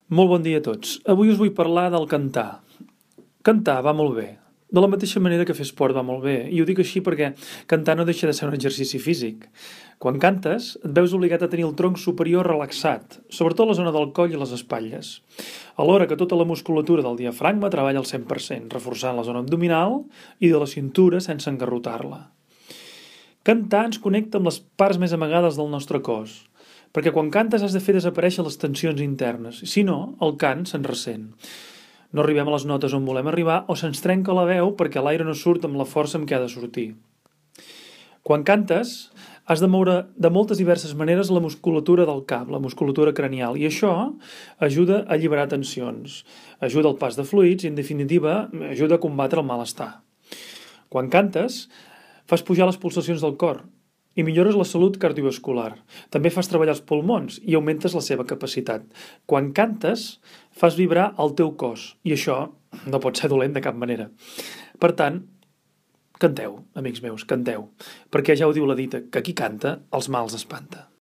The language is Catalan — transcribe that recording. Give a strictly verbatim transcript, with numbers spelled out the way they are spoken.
Molt bon dia a tots. Avui us vull parlar del cantar. Cantar va molt bé. De la mateixa manera que fer esport va molt bé. I ho dic així perquè cantar no deixa de ser un exercici físic. Quan cantes, et veus obligat a tenir el tronc superior relaxat, sobretot la zona del coll i les espatlles. Alhora que tota la musculatura del diafragma treballa al cent per cent, reforçant la zona abdominal i de la cintura sense engarrotar-la. Cantar ens connecta amb les parts més amagades del nostre cos, perquè quan cantes has de fer desaparèixer les tensions internes, si no, el cant se'n ressent. No arribem a les notes on volem arribar o se'ns trenca la veu perquè l'aire no surt amb la força amb què ha de sortir. Quan cantes, has de moure de moltes diverses maneres la musculatura del cap, la musculatura cranial, i això ajuda a alliberar tensions, ajuda al pas de fluids i, en definitiva, ajuda a combatre el malestar. Quan cantes, fas pujar les pulsacions del cor i millores la salut cardiovascular. També fas treballar els pulmons i augmentes la seva capacitat. Quan cantes, fas vibrar el teu cos i això no pot ser dolent de cap manera. Per tant, canteu, amics meus, canteu, perquè ja ho diu la dita, que qui canta els mals espanta.